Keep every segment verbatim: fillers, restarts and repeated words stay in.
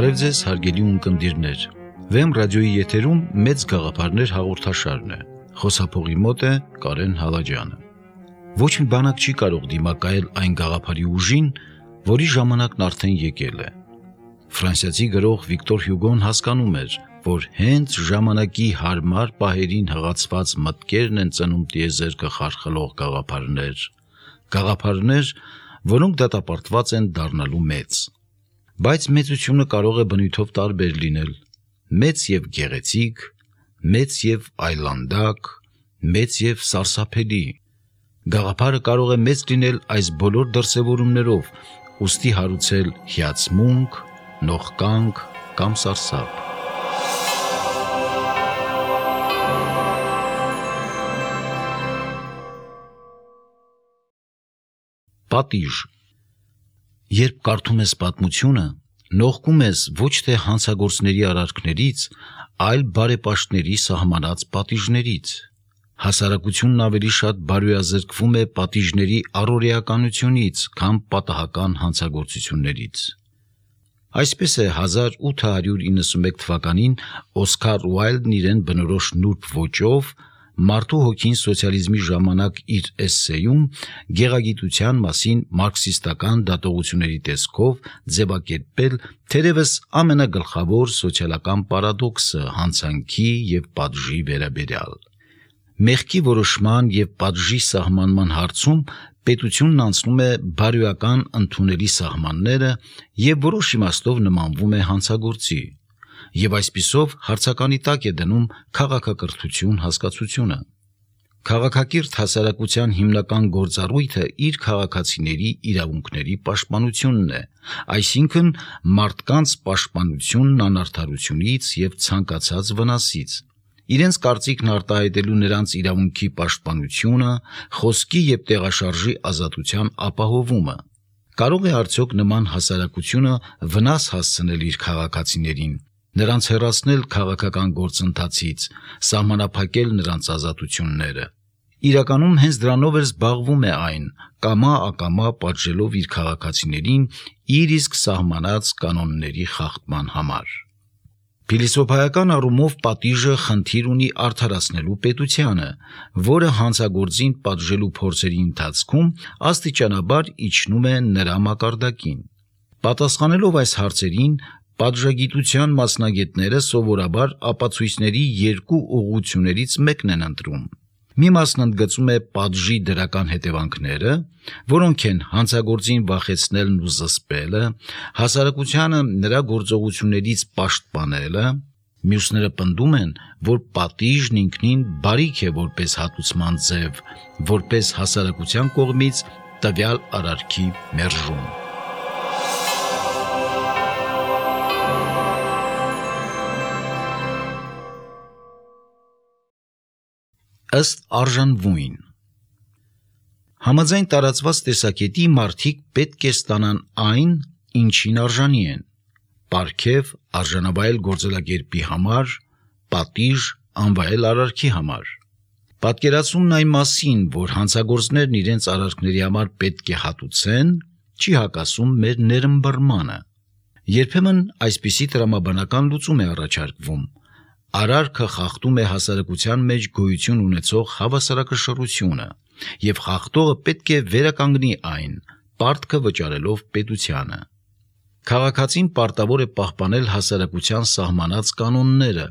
Բարև ձեզ, հարգելի ունկնդիրներ։ Վեմ ռադիոյի եթերում մեծ գաղափարներ հաղորդաշարն է։ Խոսափողի մոտ է Կարեն Հալաջյանը։ Ոչ մի բանակ չի կարող դիմակայել այն գաղափարի ուժին, որի ժամանակն արդեն եկել է։ Ֆրանսիացի գրող Վիկտոր Հյուգոն հասկանում էր, որ հենց ժամանակի հարմար պահերին հղացված մտքերն են ծնում տիեզերքը խարխլող գաղափարներ, գաղափարներ, որոնք դատապարտված են դառնալու մեծ։ Բայց մեծությունը կարող է բնույթով տարբեր լինել, մեծ և գեղեցիկ, մեծ և այլանդակ, մեծ և սարսափելի։ Գաղափարը կարող է մեծ լինել այս բոլոր դրսևորումներով, ուստի հարուցել հիացմունք, նողկանք կամ սարսափ։ Պատիժ։ Երբ կարդում ես պատմությունը, նողկում ես ոչ թե հանցագործների արարքներից, այլ բարեպաշտների սահմանած պատիժներից։ Հասարակությունն ավելի շատ բարոյազրկվում է պատիժների առօրեականությունից, քան պատահական հանցագործություններից։ Այսպես է հազար ութ հարյուր իննսունմեկ թվականին Օսքար Ուայլդն իրեն բնորոշ նուրբ ոճով «Մարդու հոգին սոցիալիզմի ժամանակ» իր էսսեյում գեղագիտության մասին մարքսիստական դատողությունների տեսքով ձևակերպել թերևս ամենագլխավոր սոցիալական պարադոքսը հանցանքի և պատժի վերաբերյալ։ Մեղքի որոշման և պատժի սահմանման հարցում պետությունն անցնում է բարոյական ընդունելի սահմանները և որոշ իմաստով նմանվում է հանցագործի, և այսպիսով հարցականի տակ է դնում քաղաքակրթություն հասկացությունը։ Քաղաքակիրթ հասարակության հիմնական գործառույթը իր քաղաքացիների իրավունքների պաշտպանությունն է, այսինքն մարդկանց պաշտպանությունն անարդարությունից և ցանկացած վնասից, իրենց կարծիքն արտահայտելու նրանց իրավունքի պաշտպանությունը, խոսքի և տեղաշարժի ազատության ապահովումը։ Կարող է արդյոք նման հասարակությունը վնաս հասցնել իր քաղաքացիներին, նրանց հեռացնել քաղաքական գործընթացից, սահմանափակել նրանց ազատությունները։ Իրականում հենց դրանով էլ զբաղվում է այն, կամա-ակամա պատժելով իր քաղաքացիներին իր իսկ սահմանած կանոնների խախտման համար։ Փիլիսոփայական առումով պատիժը խնդիր ունի արդարացնելու պետությանը, որը հանցագործին պատժելու փորձերի ընթացքում աստիճանաբար իջնում է նրա մակարդակին։ Պատասխանելով այս հարցերին, պատժագիտության մասնագետները սովորաբար ապացույցների երկու ուղղություններից մեկն են ընտրում։ Մի մասն ընդգծում է պատժի դրական հետևանքները, որոնք են հանցագործին վախեցնելն ու զսպելը, հասարակությանը նրա գործողություններից պաշտպանելը, մյուսները պնդում են, որ պատիժն ինքնին բարիք է որպես հատուցման ձև, որպես հասարակության կողմից տվյալ արարքի մերժում։ Ըստ արժանվույն։ Համաձայն տարածված տեսակետի մարդիկ պետք է ստանան այն, ինչին արժանի են՝ պարգև արժանավայել գործելակերպի համար, պատիժ անվայել արարքի համար։ Պատկերացումն այն մասին, որ հանցագործներն իրենց արարքների համար պետք է հատուցեն, չի հակասում մեր ներըմբռնմանը։ Երբեմն այսպիսի տրամաբանական լուծում է առաջարկվում. արարքը խախտում է հասարակության մեջ գոյություն ունեցող հավասարակշռությունը, և խախտողը պետք է վերականգնի այն, պարտքը վճարելով պետությանը։ Քաղաքացին պարտավոր է պահպանել հասարակության սահմանած կանոնները,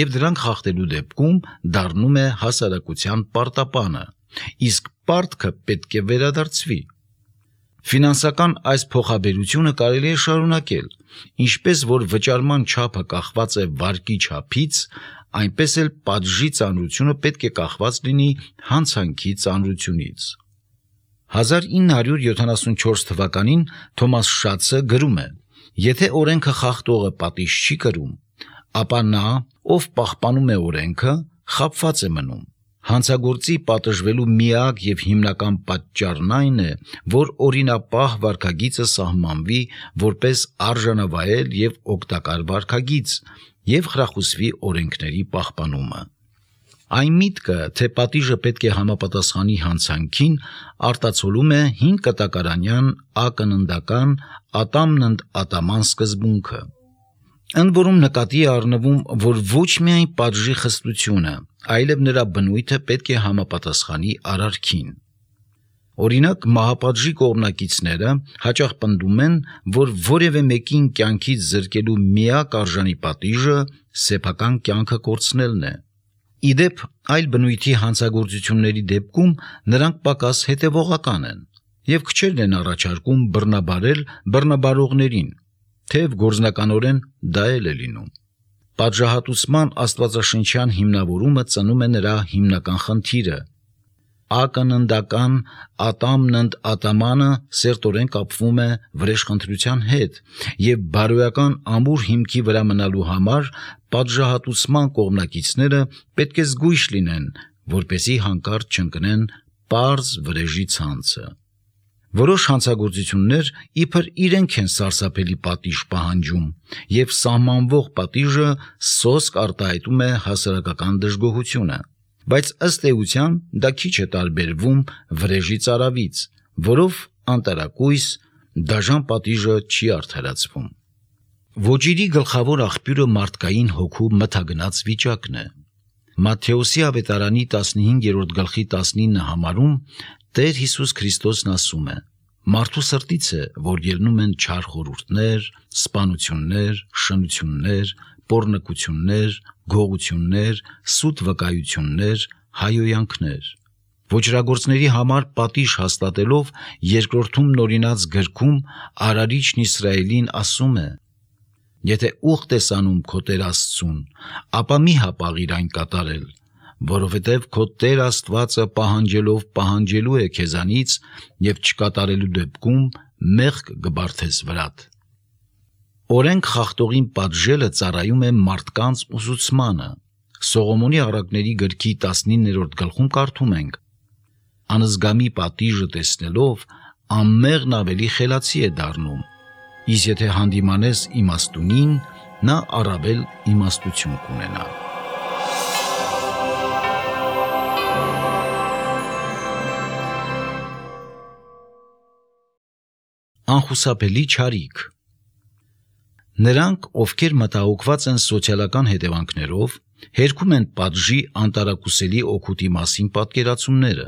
և դրանք խախտելու դեպքում դառնում է հասարակության պարտապանը, իսկ պարտքը պետք է վերադարձվի։ Ֆինանսական այս փոխաբերությունը կարելի է շարունակել, ինչպես որ վճարման չափը կախված է վարկի չափից, այնպես էլ պատժի ծանրությունը պետք է կախված լինի հանցանքի ծանրությունից։ հազար ինը հարյուր յոթանասունչորս թվականին Թոմաս Շացը գրում է. «Եթե օրենքը խախտողը պատիժ չի կրում, ապա նա, ով պահպանում է օրենքը, խաբված է մնում։ Հանցագործի պատժվելու միակ և հիմնական պատճառն այն է, որ օրինապահ վարքագիծը սահմանվի որպես արժանավայել և օգտակար վարքագիծ և խրախուսվի օրենքների պահպանումը։ Այն միտքը, թե պատիժը պետք է համապատասխանի հանցանքին, արտացոլում է հին կտակարանյան ակննդական ատամն ընդ ատաման սկզբունքը։ Ընդ որում նկատի է առնվում, որ ոչ միայն պատժի խստությունը, այլև նրա բնույթը պետք է համապատասխանի արարքին։ Օրինակ, մահապատժի կողմնակիցները հաճախ պնդում են, որ որևէ մեկին կյանքից զրկելու միակ արժանի պատիժը սեփական կյանքը կորցնելն է։ Ի դեպ, այլ բնույթի հանցագործությունների դեպքում նրանք պակաս հետևողական են և քչերն են առաջարկում բռնաբարել բռնաբարողներին, թեև գործնականորեն դա էլ է լինում։ Պատժահատուցման աստվածաշնչյան հիմնավորումը ծնում է նրա հիմնական խնդիրը։ Ակննդական ատամն ընդ ատամանը սերտորեն կապվում է վրեժխնդրության հետ, և բարոյական ամուր հիմքի վրա մնալու համար պատժահատուցման կողմնակիցները պետք է զգույշ լինեն, որպեսզի հանկարծ չընկնեն պարզ վրեժի ցանցը։ Որոշ հանցագործություններ իբր իրենք են սարսափելի պատիժ պահանջում, և սահմանվող պատիժը սոսկ արտահայտում է հասարակական դժգոհությունը, բայց ըստ էության դա քիչ է տարբերվում վրեժի ծարավից, որով անտարակույս դաժան պատիժը չի արդարացվում։ Ոճիրի գլխավոր աղբյուրը մարդկային հոգու մթագնաց վիճակն է։ Մատթեոսի ավետարանի տասնհինգերորդ գլխի տասնինը համարում Տեր Հիսուս Քրիստոսն ասում է. «Մարդու սրտից է, որ ելնում են չար խորհուրդներ, սպանություններ, շնություններ, պոռնկություններ, գողություններ, սուտ վկայություններ, հայոյանքներ»։ Ոճրագործների համար պատիժ հաստատելով երկրորդում նորինած գրքում Արարիչն Իսրայելին ասում է. «Եթե ուխտ ես անում քո Տեր Աստծուն, ապա մի հապաղիր այն կատարել, որովհետև քո Տեր Աստվածը պահանջելով պահանջելու է քեզանից և չկատարելու դեպքում մեղք կբարթես վրադ»։ Օրենք խախտողին պատժելը ծառայում է մարդկանց ուսուցմանը։ Սողոմոնի առակների գրքի տասնիններորդ գլխում կարդում ենք. «Անզգամի պատիժը տեսնելով անմեղն ավելի խելացի է դառնում, իսկ եթե հանդիմանես իմաստունին, նա առավել իմաստություն կունենա»։ Անխուսափելի չարիք։ Նրանք, ովքեր մտահոգված են սոցիալական հետևանքներով, հերքում են պատժի անտարակուսելի օգուտի մասին պատկերացումները։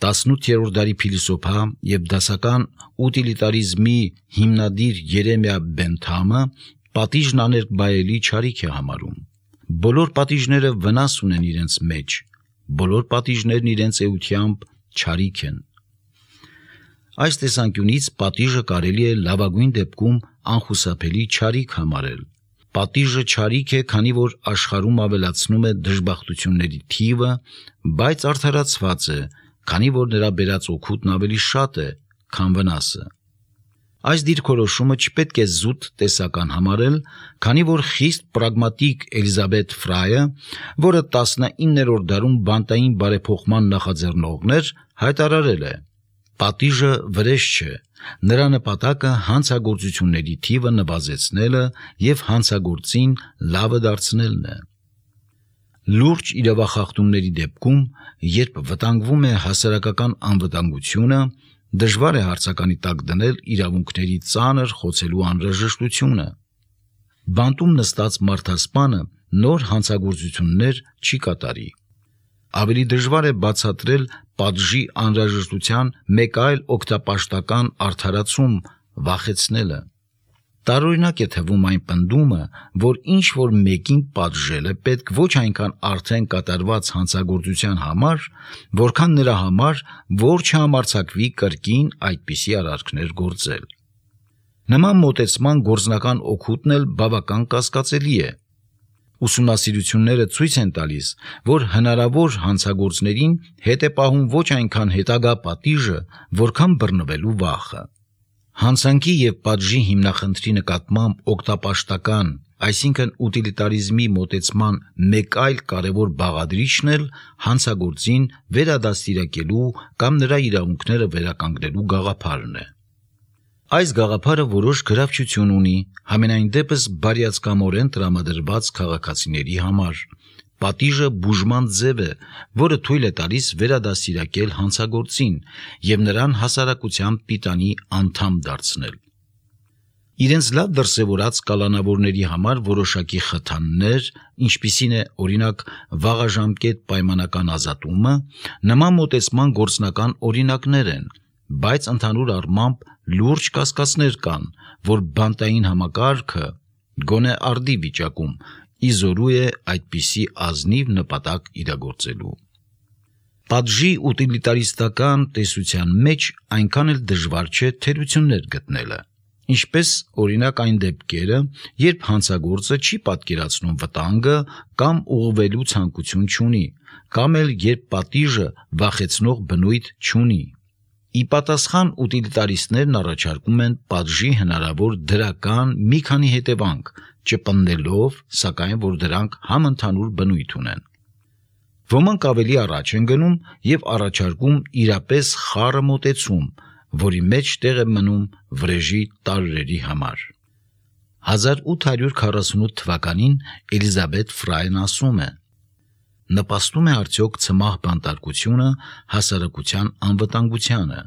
տասնութերորդ դարի փիլիսոփա և դասական ուտիլիտարիզմի հիմնադիր Երեմիա Բենթամը պատիժն աներկբայելի չարիք է համարում։ Բոլոր պատիժները վնաս ունեն իրենց մեջ, բոլոր պատիժներն իրենց էությամբ չարիք են։ Այս տեսանկյունից պատիժը կարելի է լավագույն դեպքում անխուսափելի չարիք համարել։ Պատիժը չարիք է, քանի որ աշխարհում ավելացնում է դժբախտությունների թիվը, բայց արդարացված է, քանի որ նրա բերած օգուտն ավելի շատ է, քան վնասը։ Այս դիրքորոշումը չպետք է զուտ տեսական համարել, քանի որ խիստ պրագմատիկ Էլիզաբեթ Ֆրայը, որը տասնիններորդ դարում բանտային բարեփոխման նախաձեռնողն էր, հայտարարել է. «Պատիժը վրեժ չէ, նրա նպատակը հանցագործությունների թիվը նվազեցնելը և հանցագործին լավը դարձնելն է»։ Լուրջ իրավախախտումների դեպքում, երբ վտանգվում է հասարակական անվտանգությունը, դժվար է հարցականի տակ դնել իրավունքների ծանր խոցելու անհրաժեշտությունը։ Բանտում նստած մարդասպանը նոր հանցագործություններ չի կատարի։ Ավելի դժվար է բացատրել պատժի անհրաժեշտության մեկ այլ օգտապաշտական արդարացում՝ վախեցնելը։ Տարօրինակ է թվում այն պնդումը, որ ինչ-որ մեկին պատժելը պետք ոչ այնքան արդեն կատարված հանցագործության համար, որքան նրա համար, որ չհամարձակվի կրկին այդպիսի արարքներ գործել։ Նման մոտեցման գործնական օգուտն էլ բավական կասկածելի է։ Ուսումնասիրությունները ցույց են տալիս, որ հնարավոր հանցագործներին հետ է պահում ոչ այնքան հետագա պատիժը, որքան բռնվելու վախը։ Հանցանքի և պատժի հիմնախնդրի նկատմամբ օգտապաշտական, այսինքն ուտիլիտարիզմի մոտեցման մեկ այլ կարևոր բաղադրիչն էլ հանցագործին վերադաստիարակելու կամ նրա իրավունքները վերականգնելու գաղափարն է։ Այս գաղափարը որոշ գրավչություն ունի, համենայն դեպս բարյացկամորեն տրամադրված քաղաքացիների համար։ Պատիժը բուժման ձև է, որը թույլ է տալիս վերադաստիարակել հանցագործին և նրան հասարակության պիտանի անդամ դարձնել։ Իրենց լավ դրսևորած կալանավորների համար որոշակի խթաններ, ինչպիսին է օրինակ վաղաժամկետ պայմանական ազատումը, նման մոտեցման գործնական օրինակներ են, բայց ընդհանուր առմամբ լուրջ կասկածներ կան, որ բանտային համակարգը գոնե արդի վիճակում իզորու է այդպիսի ազնիվ նպատակ իրագործելու։ Պատժի ուտիլիտարիստական տեսության մեջ այնքան էլ դժվար չէ թերություններ գտնելը, ինչպես օրինակ այն դեպքերը, երբ հանցագործը չի պատկերացնում վտանգը կամ ուղղվելու ցանկություն չունի, կամ էլ երբ պատիժը վախեցնող բնույթ չունի։ Ի պատասխան ուտիլիտարիստներն առաջարկում են պատժի հնարավոր դրական մի քանի հետևանք, չպնդելով, սակայն որ դրանք համընդհանուր բնույթ ունեն։ Ոմանք ավելի առաջ են գնում եւ առաջարկում իրապես խառը մոտեցում, որի մեջ տեղ է մնում վրեժի տարրերի համար։ հազար ութ հարյուր քառասունութ թվականին Էլիզաբեթ Ֆրայն ասում է. նպաստում է արդյոք ցմահ բանտարկությունը հասարակության անվտանգությանը։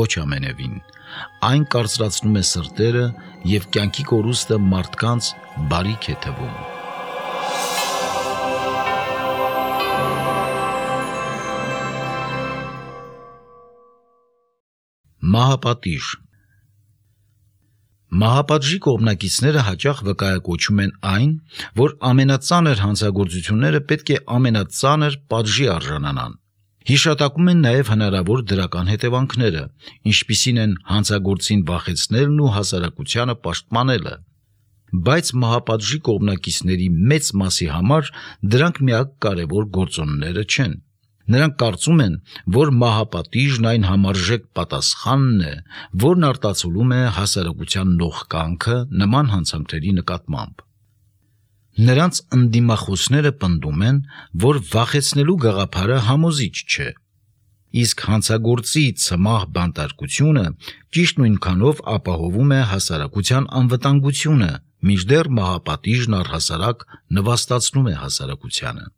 Ոչ ամենևին, այն կարծրացնում է սրտերը եւ կյանքի կորուստը մարդկանց բարիք է թվում։ Մահապատիժ։ Մահապատժի կողմնակիցները հաճախ վկայակոչում են այն, որ ամենածանր հանցագործությունները պետք է ամենածանր պատժի արժանանան։ Հիշատակում են նաև հնարավոր դրական հետևանքները, ինչպիսին են հանցագործին վախեցնելն ու հասարակությանը պաշտպանելը։ Բայց մահապատժի կողմնակիցների մեծ մասի համար դրանք միակ կարևոր գործոնները չեն։ Նրանք կարծում են, որ մահապատիժն այն համարժեք պատասխանն է, որն արտացոլում է հասարակության նողկանքը նման հանցանքների նկատմամբ։ Նրանց ընդդիմախոսները պնդում են, որ վախեցնելու գաղափարը համոզիչ չէ, իսկ հանցագործի ցմահ բանտարկությունը ճիշտ նույնքանով ապահովում է հասարակության անվտանգությունը, մինչդեռ մահապատիժն առհասարակ նվաստացնում է հասարակությանը։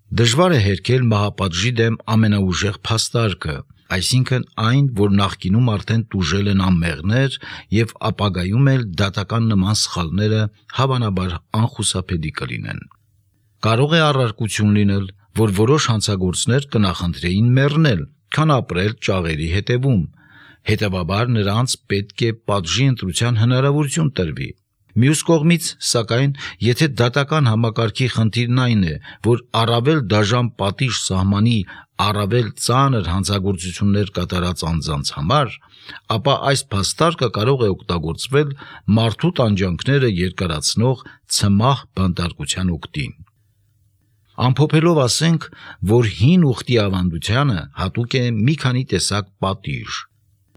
Դժվար է հերքել մահապատժի դեմ ամենաուժեղ փաստարկը, այսինքն այն, որ նախկինում արդեն տուժել են անմեղներ եւ ապագայում էլ դատական նման սխալները հավանաբար անխուսափելի կլինեն։ Կարող է առարկություն լինել, որ որոշ հանցագործներ կնախընտրեին մեռնել, քան ապրել ճաղերի հետևում, հետևաբար նրանց պետք է պատժի ընտրության հնարավորություն տրվի։ Մյուս կողմից, սակայն, եթե դատական համակարգի խնդիրն այն է, որ առավել դաժան պատիժ սահմանի առավել ծանր հանցագործություններ կատարած անձանց համար, ապա այս փաստարկը կարող է օգտագործվել մարդու տանջանքները երկարացնող ցմահ բանտարկության օգտին։ Ամփոփելով ասենք, որ հին ուխտի ավանդությանը հատուկ է մի քանի տեսակ պատիժ՝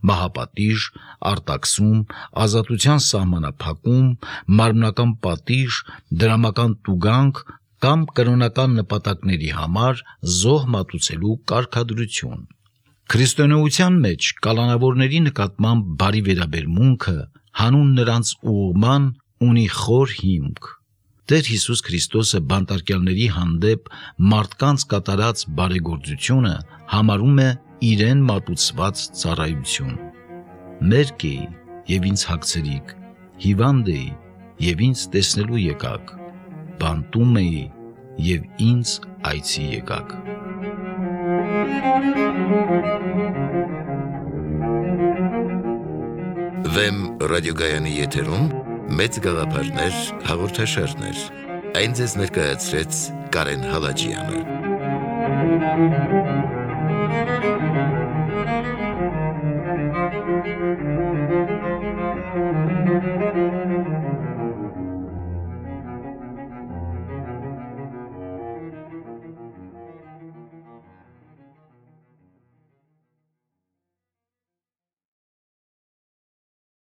մահապատիժ, արտաքսում, ազատության սահմանափակում, մարմնական պատիժ, դրամական տուգանք կամ կրոնական նպատակների համար զոհ մատուցելու կարգադրություն։ Քրիստոնեության մեջ կալանավորների նկատմամբ բարի վերաբերմունքը հանուն նրանց ուղղման ունի խոր հիմք։ Տեր Հիսուս Քրիստոսը բանտարկյալների հանդեպ մարդկանց կատարած բարեգործությունը համարում է իրեն մատուցված ծառայություն։ Մերկ էի և ինձ հագցրիք, հիվանդ էի և ինձ տեսնելու եկաք, բանտում էի և ինձ այցի եկաք։ Վեմ ռադիոգայանի եթերում մեծ գաղափարներ հաղորդաշարներ։ Այն ձեզ ներկայացրեց Կարեն Հալաջյանը։